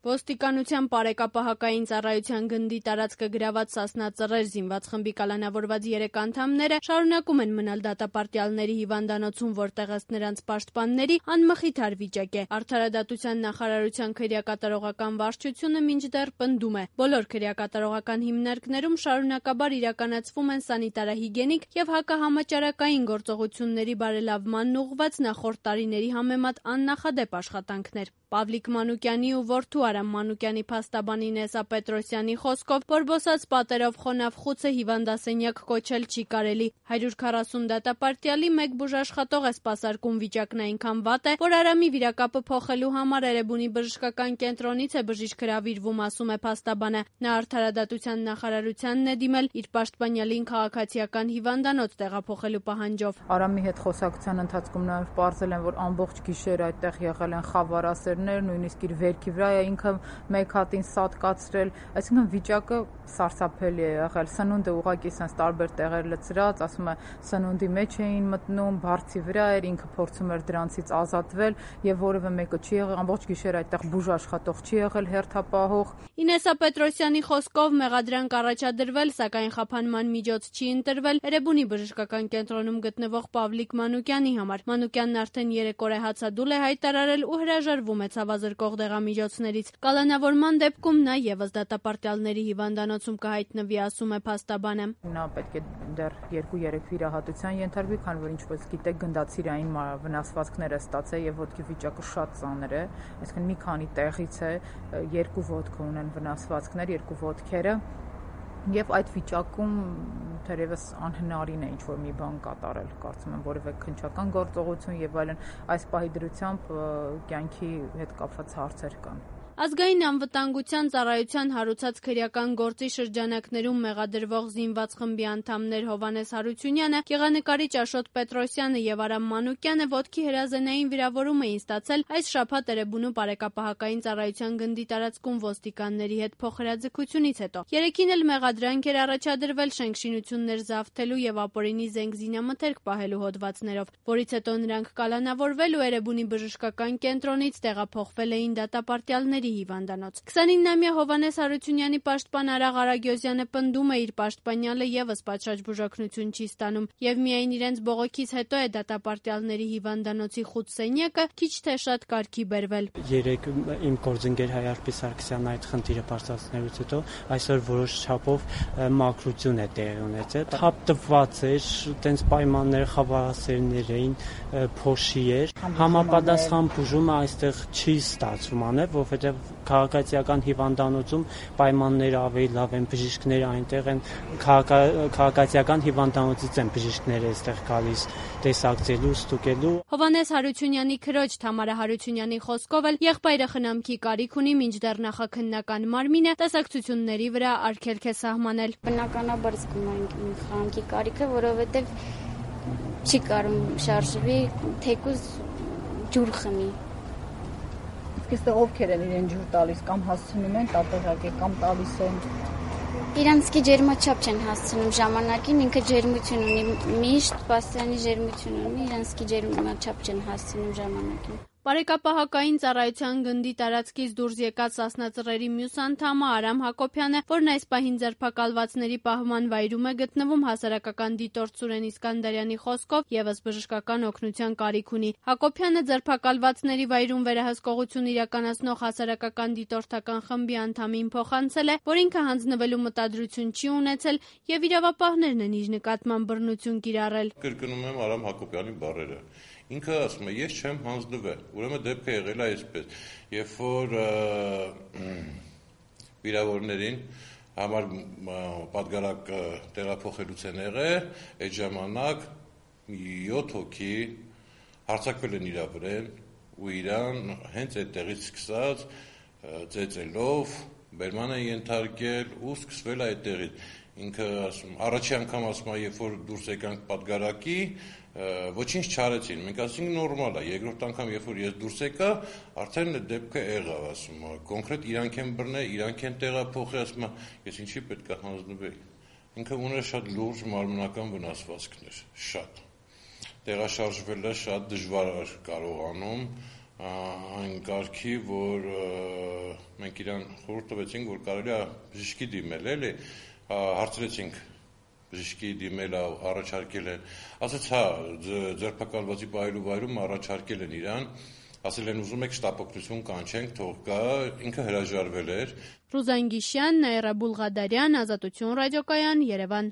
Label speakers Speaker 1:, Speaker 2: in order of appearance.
Speaker 1: Ոստիկանության պարեկապահակային ծառայության գնդի տարածքը գրաված Սասնա Ծռեր զինված խմբի կալանավորված 3 անդամները շարունակում են մնալ դատապարտյալների հիվանդանոցում, որտեղ ըստ նրանց պաշտպանների անմխիթար վիճակ է։ Արդարադատության նախարարության քրեակատարողական վարչությունը մինչդեռ պնդում է, բոլոր քրեակատարողական հիմնարկներում շարունակաբար իրականացվում են սանիտարահիգիենիկ եւ հակահամաճարակային գործողությունների բարելավմանն ուղղված նախորդ տարիների համեմատ աննախադեպ աշխատանքներ։ Պավլիկ Մանուկյանի ու որդու Արամ Մանուկյանի փաստաբանի Նեսա Պետրոսյանի խոսքով բորբոսած պատերով խոնավ խուցը հիվանդասենյակ կոչել չի կարելի։ 140 դատապարտյալի մեկ բուժաշխատող է սպասարկում, վիճակն այնքան վատ է, որ Արամի վիրակապը փոխելու համար Էրեբունի բժշկական կենտրոնից է բժիշկ հրավիրվում, ասում է փաստաբանը։ Նա արդարադատության նախարարությանն է դիմել իր պաշտպանյալին քաղաքացիական հիվանդանոց տեղափոխելու պահանջով։
Speaker 2: Արամի հետ խոսակցության ընթացքում նաև պարզել են, որ ամբողջ գիշեր այդտեղ եղել են խավարասեր, նույնիսկ իր վերքի վրա է ինքը մեկ հատին սատկացրել, այսինքն վիճակը սարսափելի է եղել։ Սնունդը ուղղակի sense տարբեր տեղեր լցրած, ասում է սնունդի մեջ էին մտնում, բարձի վրա էր, ինքը փորձում էր դրանցից ազատվել եւ որևէ մեկը չի եղել, ամբողջ գիշեր այդտեղ բուժաշխատող չի եղել, հերթապահող։
Speaker 1: Ինեսա Պետրոսյանի խոսքով մեղադրանք առաջադրվել, սակայն խափանման միջոց չի ընտրվել Էրեբունի բժշկական կենտրոնում գտնվող Պավլիկ Մանուկյանի համար։ Մանուկյանն արդեն 3 օր է հացադուլ է հայտարարել ու հրաժարվում է ցավազրկող դեղամիջոցներից։ Կալանավորման դեպքում նա եւս դատապարտյալների հիվանդանոցում կհայտնվի, ասում է փաստաբանը։
Speaker 2: Նա պետք է դեռ 2-3 վիրահատության ենթարկվի, քանի որ ինչպես գիտեք, գնդացիրային վնասվածքներ է ստացել եւ ոտքի վիճակը շատ ծանր է, այսինքն մի քանի տեղից է, 2 ոտք ունեն վնասվածքներ, 2 ոտքերը։ Եվ այդ վիճակում թերևս անհնարին է ինչ-որ մի բան կատարել, կարծում եմ որևէ քննչական գործողություն եւ այլն, այս պահի դրությամբ կյանքի հետ կապված հարցեր կան։
Speaker 1: Ազգային անվտանգության ծառայության հարուցած քրեական գործի շրջանակներում մեղադրվող զինված խմբի անդամներ Հովհաննես Հարությունյանը, գեղանկարիչ Աշոտ Պետրոսյանը եւ Արամ Մանուկյանը ոտքի հրազենային վիրավորում էին ստացել այս շաբաթ Էրեբունու պարեկապահակային ծառայության գնդի տարածքում ոստիկանների հետ փոխհրաձգությունից հետո։ Երեքին էլ մեղադրանք էր առաջադրվել շենքշինություններ զավթելու եւ ապօրինի զենք զինամթերք պահելու հոդվածներով, որից հետո նրանք կալանավորվել ու Էրեբունի բժշկական կենտրոնից տեղափոխվել էին դատապարտյալների հիվանդանոց։ 29-ամյա Հովհաննես Հարությունյանի պաշտպան Արաղ Արագյոզյանը պնդում է, իր պաշտպանյալը եւս պատշաճ բուժօգնություն չի ստանում եւ միայն իրենց բողոքից հետո է դատապարտյալների հիվանդանոցի խուտ-սենյակը քիչ թե շատ կարգի բերվել։
Speaker 3: Երեք իմ գործընկեր Հայարփի Սարգսյանն այդ խնդիրը բարձրացնելուց հետո այսօր որոշ չափով մաքրություն է տեղի ունեցել։ Թափ տված էր, տենց պայմաններ խավարասերներ էին, փոշի էր։ Համապատասխան բուժումը այստեղ չի ստացվում անել, որովհետեւ քաղաքացիական հիվանդանոցում պայմանները ավելի լավ են, բժիշկները այնտեղ են, քաղաքացիական հիվանդանոցից են բժիշկները այստեղ գալիս տեսակցելու, ստուգելու։
Speaker 1: Հովհաննես Հարությունյանի քրոջ Թամարա Հարությունյանի խոսքով էլ եղբայրը խնամքի կարիք ունի, մինչդեռ նախաքննական մարմինը տեսակցությունների վրա արգելք է սահմանել։
Speaker 4: Բնականաբար զգում ենք խնամքի կարիքը, որովհետև չի կարող շարժվի, թեկուզ ջուր խմի։
Speaker 2: Իսկ ովքեր են իրեն ջուր տալիս կամ հասցնում են տատեղակե կամ տալիս են։
Speaker 4: Իրանցքի ջերմաչափ չեն հասցնում ժամանակին, ինքը ջերմություն ունի, միշտ պաստյանի ջերմություն ունի, իրանցքի ջերմաչափ չեն հասցնում ժամանակին։
Speaker 1: Պարեկապահակային ծառայության գնդի տարածքից դուրս եկած Սասնա Ծռերի մյուս անդամը Արամ Հակոբյանը, որն այս պահին ձերբակալվածների պահման վայրում է գտնվում, հասարակական դիտորդ Սուրեն Իսկանդարյանի խոսքով եւս բժշկական օգնության կարիք ունի։ Հակոբյանը ձերբակալվածների վայրում վերահսկողություն իրականացնող հասարակական դիտորդական խմբի անդամին փոխանցել է, որ ինքը հանձնվելու մտադրություն չի ունեցել եւ իրավապահներն են իր նկատմամբ բռնություն կիրառել։
Speaker 5: Կրկնում եմ Արամ Հակոբյանի բառերը։ Ինքը ասում է, ես չեմ հանձնվել, ուրեմն դեպքը եղել է այսպես, երբ որ վիրավորներին համար պատգարակ տեղափոխելուց են եղել, այդ ժամանակ 7 հոգի հարձակվել են իրա վրան ու իրան հենց այդտեղից սկսած ծեծելով բերման են ենթարկել ու սկսվել է այդտեղից։ Ինքը առաջի անգամ ասում է, երբ որ դուրս եկանք պատգարակի, ոչինչ չարեցին, մենք ասենք նորմալ է, երկրորդ անգամ, երբ որ ես դուրս եկա, արդեն դեպքը եղավ, ասում է, կոնկրետ իրանք են բռնել, իրանք են տեղափոխել, ասում է, ես ինչի պետք է հանձնվեի։ Ինքը ուներ շատ լուրջ մարմնական վնասվածքներ, շատ։ Տեղաշարժվելը շատ դժվար կարողանում, այն կարգի, որ մենք իրան խորհուրդ տվեցինք, որ կարելի է բժշկի դիմել, էլի, հարցրեցինք բժշկի դիմել առաջարկել են, ասաց հա, ձերբակալվածի պահելու վայրում առաջարկել են իրան, ասել են ուզում եք շտապօգնություն կանչենք, թող գա, ինքը հրաժարվել էր։
Speaker 1: Ռուզան Գիշյան, Նաիրա Բուլղադարյան, Ազատություն ռադիոկայան, Երևան։